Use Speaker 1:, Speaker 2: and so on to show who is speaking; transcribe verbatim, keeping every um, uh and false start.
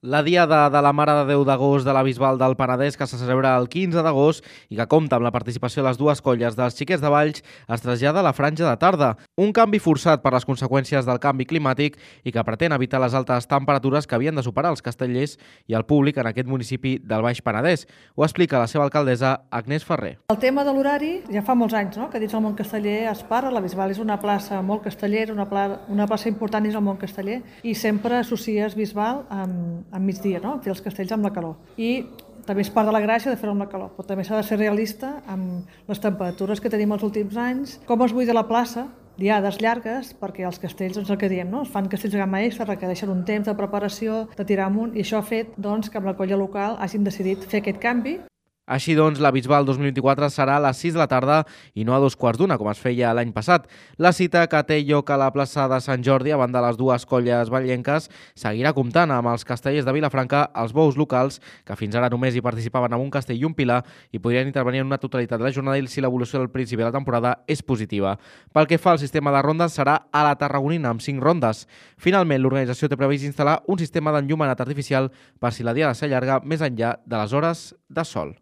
Speaker 1: La Diada de la Mare de Déu d'Agost de la Bisbal del Penedès, que se celebra el quinze d'agost i que compta amb la participació de les dues colles dels Xiquets de Valls, es trasllada a la franja de tarda. Un canvi forçat per les conseqüències del canvi climàtic i que pretén evitar les altes temperatures que havien de superar els castellers i el públic en aquest municipi del Baix Penedès. Ho explica la seva alcaldessa, Agnès Ferrer.
Speaker 2: El tema de l'horari ja fa molts anys, no?, que dins el món casteller es parla. La Bisbal és una plaça molt castellera, una, pla, una plaça important dins el món casteller, i sempre associes Bisbal amb a migdia, no?, fer els castells amb la calor. I també és part de la gràcia de fer-ho amb la calor, però també s'ha de ser realista amb les temperatures que tenim els últims anys, com es buida la plaça, diades llargues, perquè els castells, doncs el que diem, no?, es fan castells de gamma extra, requereixen un temps de preparació, de tirar amunt, i això ha fet doncs, que amb la colla local hagin decidit fer aquest canvi.
Speaker 1: Així doncs, la Bisbal dos mil vint-i-quatre serà a les sis de la tarda i no a dos quarts d'una, com es feia l'any passat. La cita, que té lloc a la plaça de Sant Jordi, a banda de les dues colles vallenques, seguirà comptant amb els castellers de Vilafranca, els bous locals, que fins ara només hi participaven amb un castell i un pilar, i podrien intervenir en una totalitat de la jornada si l'evolució del principi de la temporada és positiva. Pel que fa al sistema de rondes, serà a la Tarragonina, amb cinc rondes. Finalment, l'organització té previst instal·lar un sistema d'enllumenat artificial per si la diada s'allarga més enllà de les hores de sol.